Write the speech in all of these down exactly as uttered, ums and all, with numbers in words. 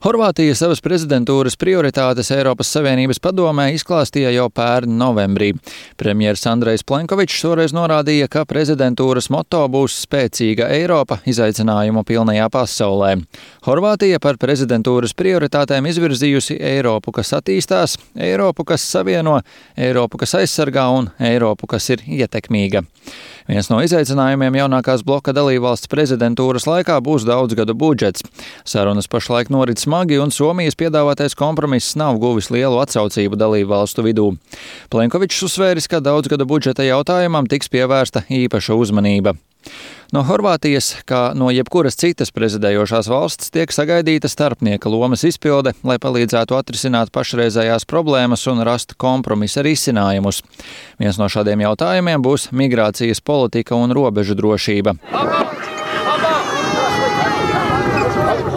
Horvātija savas prezidentūras prioritātes Eiropas Savienības padomē izklāstīja jau pērn novembrī. Premjers Andrejs Plenkovičs toreiz norādīja, ka prezidentūras moto būs spēcīga Eiropa izaicinājumu pilnajā pasaulē. Horvātija par prezidentūras prioritātēm izvirzījusi Eiropu, kas attīstās, Eiropu, kas savieno, Eiropu, kas aizsargā un Eiropu, kas ir ietekmīga. Viens no izaicinājumiem jaunākās bloka dalībvalsts prezidentūras laikā būs daudzgadu budžets. Sarunas pašlaik norit smagi un Somijas piedāvātais kompromiss nav guvis lielu atsaucību dalībvalstu vidū. Plenkovičs uzsvēris, ka daudzgadu budžeta jautājumam tiks pievērsta īpaša uzmanība. No Horvātijas, kā no jebkuras citas prezidējošās valsts, tiek sagaidīta starpnieka lomas izpilde, lai palīdzētu atrisināt pašreizējās problēmas un rast kompromisa risinājumus. Viens no šādiem jautājumiem būs migrācijas politika un robežu drošība.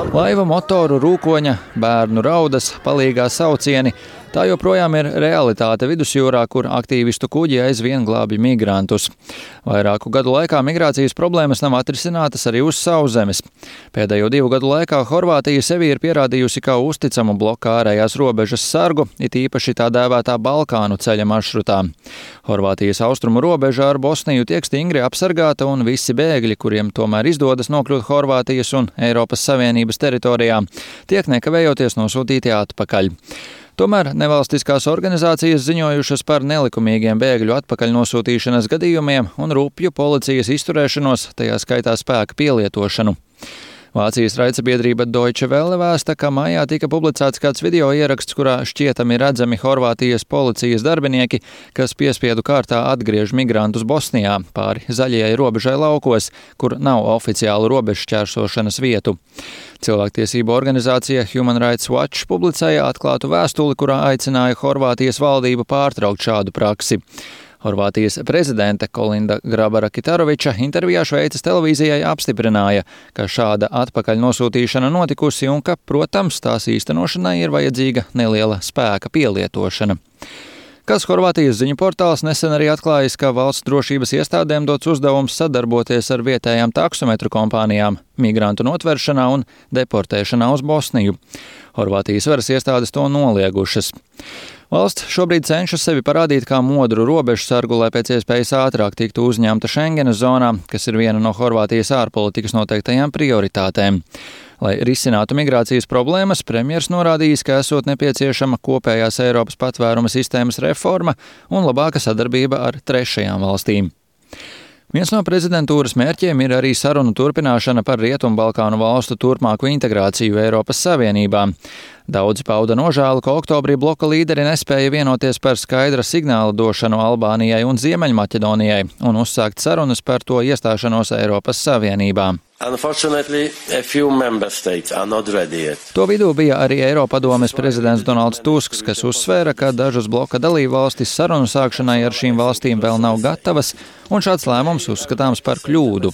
Laiva motoru rūkoņa, bērnu raudas, palīgā saucieni – tā joprojām ir realitāte vidusjūrā, kur aktīvistu kuģi aizvien glābj migrantus. Vairāku gadu laikā migrācijas problēmas nav atrisinātas arī uz sauszemes. Pēdējo divu gadu laikā Horvātija sevi ir pierādījusi kā uzticamu bloka ārējās robežas sargu, it īpaši tā dēvētā Balkānu ceļa maršrutā. Horvātijas austrumu robeža ar Bosniju tiek stingri apsargāta un visi bēgļi, kuriem tomēr izdodas nokļūt Horvātijas un Eiropas Savienības teritorijā, tiek nekavējoties nosūtīti atpakaļ. Tomēr nevalstiskās organizācijas ziņojušas par nelikumīgiem bēgļu atpakaļ nosūtīšanas gadījumiem un rupju policijas izturēšanos, tajā skaitā spēka pielietošanu. Vācijas raidsabiedrība Deutsche Welle vēsta, ka maijā tika publicēts kāds video ieraksts, kurā šķietami redzami Horvātijas policijas darbinieki, kas piespiedu kārtā atgriež migrantus Bosnijā pāri zaļajai robežai laukos, kur nav oficiālu robežu šķērsošanas vietu. Cilvēktiesību organizācija Human Rights Watch publicēja atklātu vēstuli, kurā aicināja Horvātijas valdību pārtraukt šādu praksi. Horvātijas prezidente Kolinda Grabara-Kitaroviča intervijā Šveices televīzijai apstiprināja, ka šāda atpakaļ nosūtīšana notikusi un ka, protams, tās īstenošanai ir vajadzīga neliela spēka pielietošana. Kāds Horvātijas ziņu portāls nesen arī atklājis, ka valsts drošības iestādēm dots uzdevums sadarboties ar vietējām taksometru kompānijām migrantu notveršanā un deportēšanā uz Bosniju. Horvātijas varas iestādes to noliegušas. Valsts šobrīd cenšas sevi parādīt kā modru robežsargu, lai pēc iespējas ātrāk tiktu uzņemta Schengenas zonā, kas ir viena no Horvātijas ārpolitikas noteiktajām prioritātēm. Lai risinātu migrācijas problēmas, premjers norādījis, ka esot nepieciešama kopējās Eiropas patvēruma sistēmas reforma un labāka sadarbība ar trešajām valstīm. Viens no prezidentūras mērķiem ir arī sarunu turpināšana par Rietumbalkānu valstu turpmāku integrāciju Eiropas Savienībā. Daudzi pauda nožēlu, ka oktobrī bloka līderi nespēja vienoties par skaidra signāla došanu Albānijai un Ziemeļmaķedonijai un uzsākt sarunas par to iestāšanos Eiropas Savienībā. To vidū bija arī Eiropadomes prezidents Donalds Tusks, kas uzsvēra, ka dažas bloka dalībvalstis sarunu sākšanai ar šīm valstīm vēl nav gatavas, un šāds lēmums uzskatāms par kļūdu.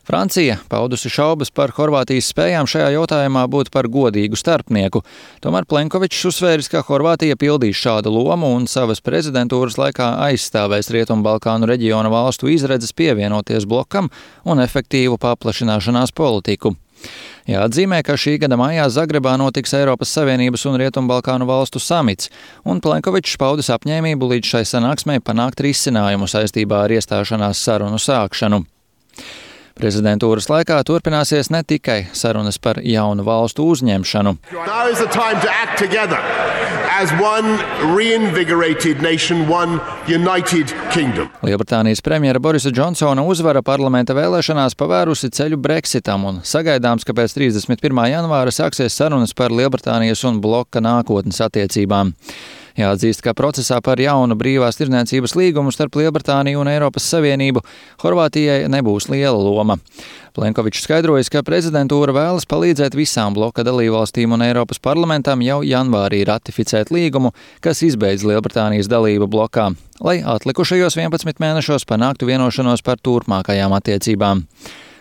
Francija paudusi šaubas par Horvātijas spējām šajā jautājumā būt par godīgu starpnieku. Tomēr Plenkovičs uzsvēris, ka Horvātija pildīs šādu lomu un savas prezidentūras laikā aizstāvēs Rietumbalkānu reģiona valstu izredzes pievienoties blokam un efektīvu paplašināšanās politiku. Jāatzīmē, ka šī gada maijā Zagrebā notiks Eiropas Savienības un Rietumbalkānu valstu samits, un Plenkovičs paudis apņēmību līdz šai sanāksmei panākt risinājumu saistībā ar iestāšanās sarunu sākšanu. Prezidentūras laikā turpināsies ne tikai sarunas par jaunu valstu uzņemšanu. Lielbritānijas premjera Borisa Džonsona uzvara parlamenta vēlēšanās pavērusi ceļu Brexitam un sagaidāms, ka pēc trīsdesmit pirmā janvāra sāksies sarunas par Lielbritānijas un bloka nākotnes attiecībām. Jāatzīst, ka procesā par jaunu brīvās tirdzniecības līgumu starp Lielbritāniju un Eiropas Savienību Horvātijai nebūs liela loma. Plenkovičs skaidrojas, ka prezidentūra vēlas palīdzēt visām bloka dalībvalstīm un Eiropas parlamentam jau janvārī ratificēt līgumu, kas izbeidz Lielbritānijas dalību blokā, lai atlikušajos vienpadsmit mēnešos panāktu vienošanos par turpmākajām attiecībām.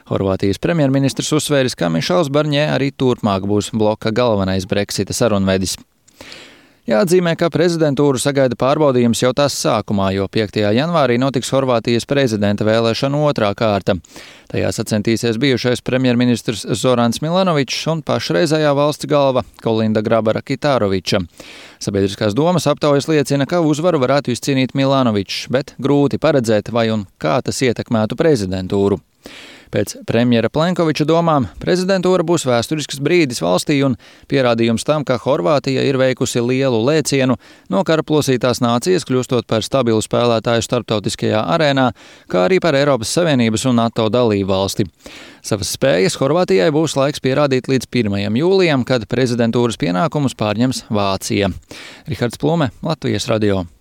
Horvātijas premjerministrs uzsvēris, ka Mišels Barņē arī turpmāk būs bloka galvenais Brexita sarunvedis. Jāatzīmē, ka prezidentūru sagaida pārbaudījums jau tās sākumā, jo piektajā janvārī notiks Horvātijas prezidenta vēlēšanu otrā kārta. Tajā sacentīsies bijušais premjerministrs Zorans Milanovičs un pašreizējā valsts galva Kolinda Grabara-Kitaroviča. Sabiedriskās domas aptaujas liecina, ka uzvaru varētu izcīnīt Milanovičs, bet grūti paredzēt, vai un kā tas ietekmētu prezidentūru. Pēc premjera Plenkoviča domām prezidentūra būs vēsturisks brīdis valstī un pierādījums tam, ka Horvātija ir veikusi lielu lēcienu no kara plosītās nācijas, kļūstot par stabilu spēlētāju starptautiskajā arēnā, kā arī par Eiropas Savienības un NATO dalību valsti. Savas spējas Horvātijai būs laiks pierādīt līdz pirmajam jūlijam, kad prezidentūras pienākumus pārņems Vācija. Rihards Plume, Latvijas radio.